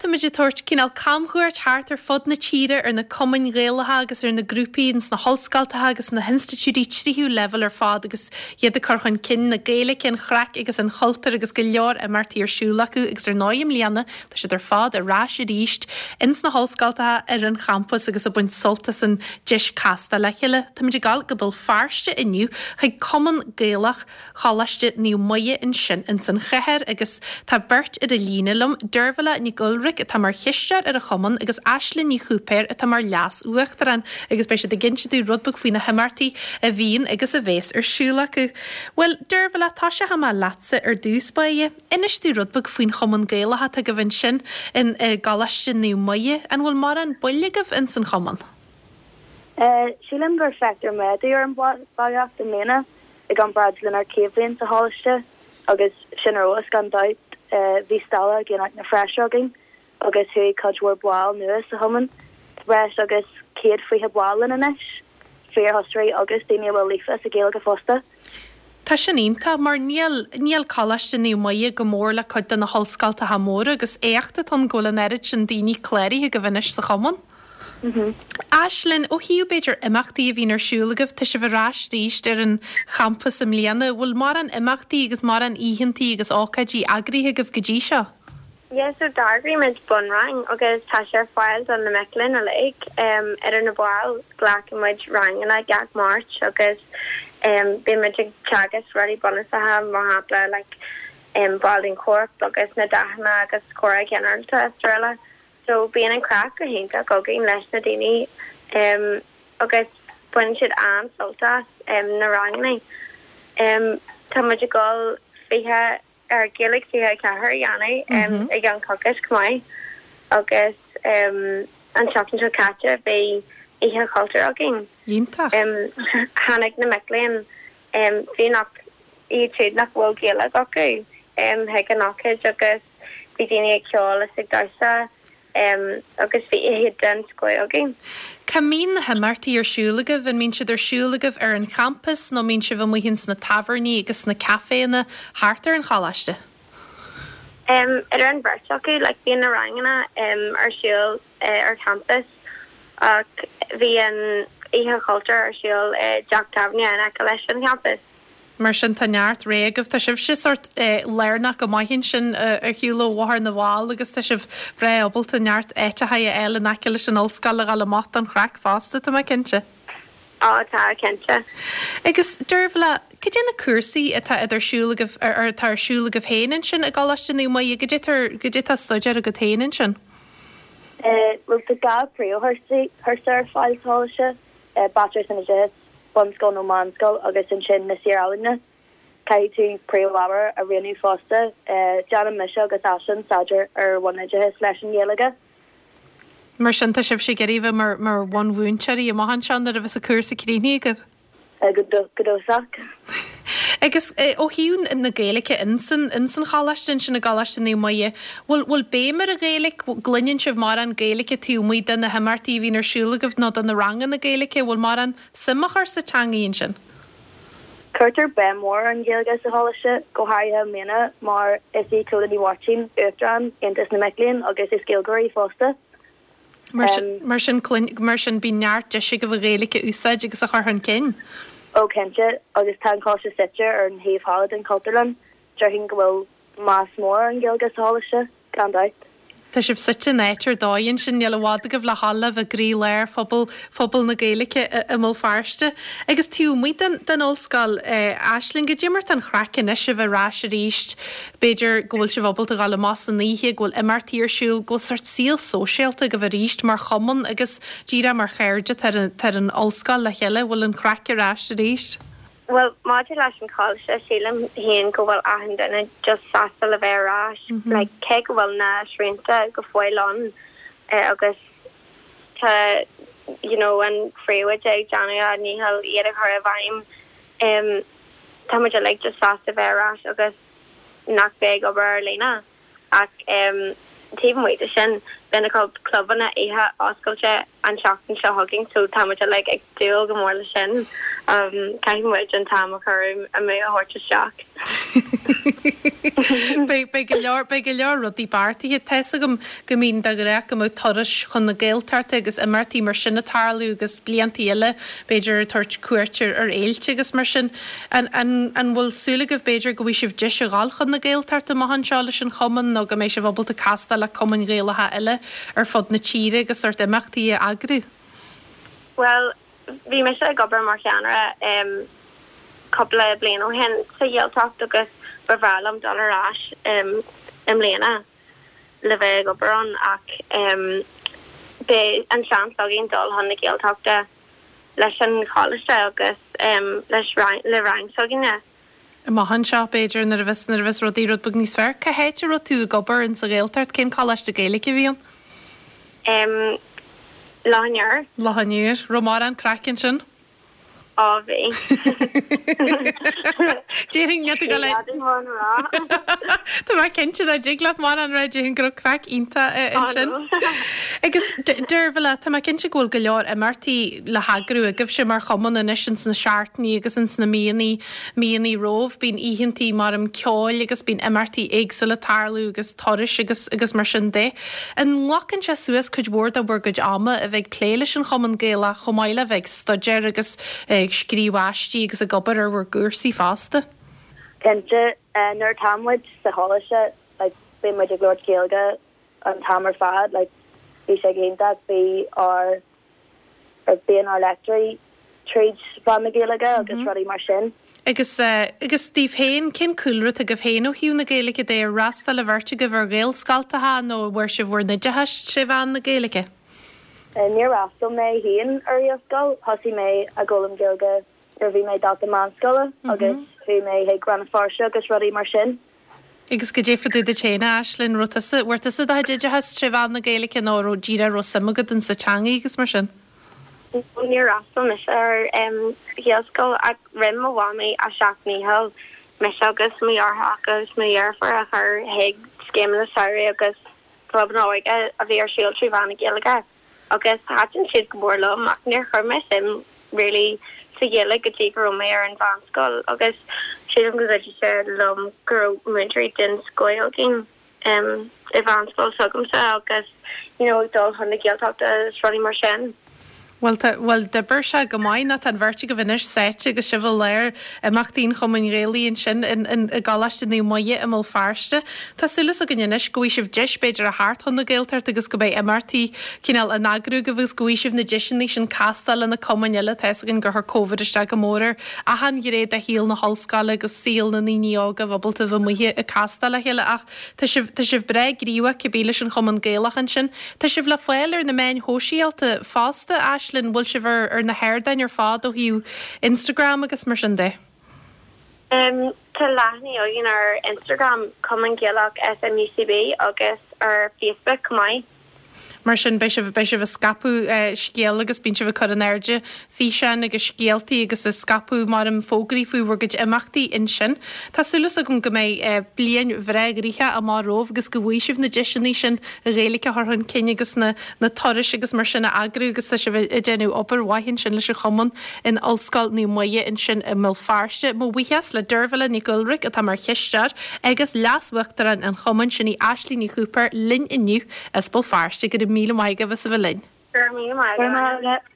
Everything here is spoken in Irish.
táimid ag tabhairt cineál camchuairt thart ar fud na tíre ar na cumainn Ghaelacha agus ar na grúpaí ins na hollscoltacha agus na hinstitiúidí tríú leibhéal ar fad agus iad ag cur chun cinn na Gaeilge, an chraic agus an chultúir agus go leor imeachtaí ar siúl acu agus ar ndóigh i mbliana tá siad ar fad ar ais arís ins na hollscoltacha ar an champas agus ag baint sult as an deis castáil le chéile. Táimid ag dul go Béal Feirste inniu chuig Cumann Gaelach Choláiste Naomh Muire ansin ins an chathair agus tá beirt ar an líne liom, Deirbhile Nic Uilric atá mar chisteoir ar an chumann agus Aislinn Ní Chúipéir atá mar leas-uachtarán agus beidh siad ag inse dúinn rud beag faoi na himeachtaí a bhíonn agus a bhéas ar siúl acu. Bhuel, Deirbhile, tosóidh mé leatsa ar dtús báire. Inis dúinn rud beag faoin Chumann Gaelach atá agaibh ansin in i gColáiste Naomh Muire. An bhfuil mórán baill agaibh ins an chumann? Sílim gur feictear méadú ar an bhallraíocht i mbliana i gcomparáid lenár chéad bhliain sa choláiste agus sin ar fheabhas gan dabht. Bhí stalla ag Aonach na bhFreisear againn agus chuaigh cuid mhór ball nua sa chumann. Tá breis agus 120 ball linn anois, fíorthosairí agus daoine a bhfuil líofa sa Ghaeilge fosta. Tá sin iontach mar níl, níl Coláiste Naomh Muire go mór le cuid de na hollscoltacha móra agus éacht atá ann go bhfuil an oiread sin daoine cláraithe agaibh anois sa chumann. Aislinn, ó thaobh b'fhéidir imeachtaí a bhíonn ar siúl agaibh, tá sibh ar ais arís ar an champas i mbliana, bhfuil mórán imeachtaí agus mórán oícheantaí agus ócáidí eagraithe agaibh go dtí seo? Yeah so d'eagraigh muid bunrang agus tá sé ar fáil do na mic léinn uilig. Idir na baill glacann muid ranganna gach Máirt agus bíonn muid ag teagasc rudaí bunúsacha mar shampla like baill den chorp agus na dathanna agus comhrá ginearálta is araile. So bíonn an craic go hiontach againn leis na daoine agus baineann siad an-sult as na ranganna. Tá muid ag dul 20 ar Gaeilge 24 a dhéanamh i gceann coicís chomh maith agus an tseachtain seo caite bhí Oíche Chultúir againn. Iontach. Tháinig na mic léinn, fiú nach iad siúd nach bhfuil Gaeilge acu, chuig an ócáid agus bhí daoine ag ceol is ag damhsa. agus bhí oíche den scoth againn. Cá mbíonn na himeachtaí ar siúl agaibh? An mbíonn siad ar siúl agaibh ar an champas nó mbíonn sibh amuigh ins na tábhairní agus sna caiféanna thart ar an choláiste? Idir an bheirt acu, like bíonn na ranganna ar siúl ar champas ach bhí an Oíche Chultúir ar siúl i dteach tábhairne in aice leis an champas. Mar sin, tá neart rogha agaibh. Tá sibhse sórt lárnach go maith ansin ar shiúl ó Bhóthar na bhFál agus tá sibh breá ábalta neart áiteacha a fháil in aice leis an ollscoil le dhul amach don chraic fosta, tá mé cinnte. Á, tá, cinnte. Agus, Deirbhile, cad é na cúrsaí atá iad ar siúl agaibh, ar atá ar siúl agaibh féin ansin i gColáiste Naomh Muire? Cad é tá, cad é tá á staidéar agat féin ansin? Bhuel, tá 2 príomhchúrsa ar fáil sa choláiste, Baitsiléir san Oideachas, bunscoil nó meánscoil agus ansin na Saor-Ealaíona. Caithfidh tú príomhábhar a roghnú fosta. Déanann mise agus Aislinn staidéar ar bhunoideachas leis an Ghaeilge. Mar sin tá sibhse ag iarraidh a bheith mar mar bhunmhúinteoirí amach anseo nuair a bheas an cúrsa críochnaithe agaibh? Go dóchasach. Agus ó thaobh na Gaeilge insan insan choláiste ansin i gColáiste Naomh Muire, bhfuil bhfuil béim ar an Ghaeilge? Gcluineann sibh mórán Gaeilge taobh amuigh de na himeachtaí a bhíonn ar siúl agaibh nó de na ranganna Gaeilge? Bhfuil mórán suim á chur sa teangaidh ansin? Cuirtear béim mhór ar an Ghaeilge sa choláiste, go háirithe i mbliana mar is í Clodagh Ní Mháirtín Uachtarán Aontas na Mic Léinn agus is Gaeilgeoir í fosta. Mar sin, mar sin, mar sin bíonn neart deis agaibh an Ghaeilge a úsáid agus a chur chun cinn. Ó cinnte, agus tá an coláiste suite ar an thaobh thall den Chultúrlann, déarfainn go bhfuil meas mór ar an Ghaeilge sa choláiste, gan dabht. Tá sibh suite in áit ar dóigh ansin, níl i bhfad agaibh le dhul le bheith i gcroí-lár phobal, phobal na Gaeilge i mBéal Feirste. Agus taobh amuigh den, den ollscoil, Aisling, goidé mar tá an chraic anois a bheith ar ais arís B'fhéidir go bhfuil sibh ábalta dhul amach san oíche, go bhfuil imeachtaí ar siúl, go bhfuil sórt saol sóisialta agaibh arís mar chumann agus díreach mar chairde atá ar an ollscoil le chéile, bhfuil an chraic ar ais arís? Bhuel, maidir leis an choláiste, sílim féin go bhfuil achan duine just sásta le bheith ar ais. Like, cé go bhfuil na srianta go fóill ann agus tá, you know, an phríomhoide ag déanamh a ndícheall iad a chur i bhfeidhm, tá muid uilig just sásta bheith ar ais agus nach bheith ag obair ar líne. Ach taobh amuigh de sin, beidh na clubanna oíche oscailte an tseachtain seo chugainn so tá muid uilig ag dúil go mór leis sin. Caithfidh muid an t-am a chur amú a thabhairt isteach. Beidh, beidh go leor, beidh go leor rudaí beartaithe. Tá 'fhios agam go mbíonn de ghnáth go mbeadh turais chun na Gaeltachta agus imeachtaí mar sin ag tarlú agus bliantaí eile b'fhéidir ag tabhairt cuairt ar, ar fhéilte agus mar sin. An, an, an bhfuil súil agaibh b'fhéidir go bhfaighidh sibh deis a dhul chun na Gaeltachta amach anseo leis an chumann nó go mbeidh sibh ábalta castáil le cumainn Ghaelacha eile ar fud na tíre agus sórt imeachtaí a eagrú? Bhuel, Bhí mise ag obair mar cheannaire cúpla bliain ó shin sa Ghaeltacht agus ba bhreá liom dul ar ais i mbliana le bheith ag obair ann ach beidh an seans againn dul chun na Gaeltachta leis an choláiste agus leis le rang s'againne. Amach anseo, b'fhéidir, nuair a bheas, nuair a bheas rudaí rud beag níos fearr. Cá háit a raibh tú ag obair in sa Ghaeltacht? Cén coláiste Gaeilge a bhí ann? Em, Loch an Iúir. Loch an Iúir. Raibh mórán craic ansin? Á, bhí. Déarfainn, níl tú ag dul a. Ní mórán a rá. Tá mé cinnte dá dtig leat mórán a rá, déarfainn go raibh craic iontach ansin. Agus, Deirbhile, tá mé cinnte go bhfuil go leor imeachtaí le heagrú agaibhse mar chumann anois ins na seachtainí agus ins na míonnaí, míonnaí romhaibh. Bíonn oícheantaí mar ceoil agus bíonn imeachtaí éagsúla ag tarlú agus turais agus agus mar sin de. An nglacann sé suas cuid mhór de bhur gcuid ama a bheith ag plé leis an Chumann Gaelach chomh maith le bheith ag staidéar agus ag scríobh aistí agus ag obair ar bhur gcúrsaí fosta? Cinnte, nuair atá muid sa choláiste like bíonn muid ag labhairt Gaeilge an t-am ar fad like bhí sé go hiontach, bhí ár Bíonn ár léachtóirí tríd mheán na Gaeilge agus rudaí mar sin. Agus, agus daoibh féin, cén cúlra atá agaibh féin ó thaobh na Gaeilge de? Ar fhreastail an bheirt agaibh ar Ghaelscoltacha nó an bhfuair sibh bhur n-oideachas tré mheán na Gaeilge? Níor fhreastail mé féin ar Ghaelscoil. Thosaigh mé ag foghlaim Gaeilge nuair a bhí mé dalta meánscoile agus chuaigh mé chuig Rann na Feirste agus rudaí mar sin. Agus goidé fá dtaobh duit féin, a Aislinn, raibh tusa, bhfuair tusa do chuid oideachas tré mheán na Gaeilge nó raibh, díreach raibh suim agat in sa teangaidh agus mar sin? No, níor fhreastail mise ar Ghaelscoil ach rinne mo mhamaí a seacht ndícheall mise agus mo dheartháireacha agus mo dheirfiúr a chur chuig scéimeanna samhraidh agus clubanna óige a bhí ar siúl trí mheán na Gaeilge. agus thaitin siad go mór liom ach níor chuir mé suim really sa Ghaeilge go dtí go raibh mé ar an mheánscoil agus sílim go gcuidigh sé liom go raibh múinteoirí den scoth againn i mheánscoil s'agamsa agus you know ag dul chun na Gaeltachta agus rudaí mar sin. Bhuel tá, bhuel d'oibir sé go maith nó tá an bheirt agaibh anois sáite agus sibh i lár imeachtaí an Chumainn Ghaelaigh ansin in, in, i gColáiste Naomh Muire i mBéal Feirste. Tá súil againn anois go bhfaighidh sibh deis b'fhéidir a theacht chun na Gaeltachta agus go mbeidh imeachtaí cineál á n-eagrú agaibh agus go bhfaighidh sibh na deiseanna sin castáil le na cumainn eile. Tá fhios againn gur chuir Covid isteach go mór ar achan ghné de shaol na hollscoile agus saol na ndaoine óga a bheith ábalta a bheith amuigh ag castáil le chéile ach tá sibh, tá sibh breá gníomhach cibé leis an Chumann Gaelach ansin. Tá sibh le fáil ar na meáin shóisialta fosta, Aislinn, bhfuil sibh ar, ar na hardáin ar fad ó thaobh Instagram agus mar sin de? Tá leathanaigh againn ar Instagram, Cumann Gaelach SMUCB, agus ar Facebook chomh maith. Mar sin, beidh sibh, beidh sibh ag scaipeadh scéal agus bíonn sibh ag cur in airde físeáin agus scéaltaí agus ag scaipeadh mar em fógraí faoi bhur gcuid imeachtaí ansin. Tá súil agam go mbeidh bliain bhreá ghnoitheach amach romhaibh agus go bhfaighidh sibh na deiseanna sin an Ghaeilge a chur chun cinn agus na na turais agus mar sin a eagrú agus tá sibh ag déanamh obair mhaith ansin leis an chumann in Ollscoil Naomh Muire ansin i mBéal Feirste. Mo bhuíochas le Deirbhile Nic Uilric atá mar chisteoir agus leas-uachtarán an chumainn, sin í Aislinn Ní Chúipéir linn inniu as Béal Feirste. Go raibh míle maith agaibh as a bheith linn. Go raibh míle maith agat.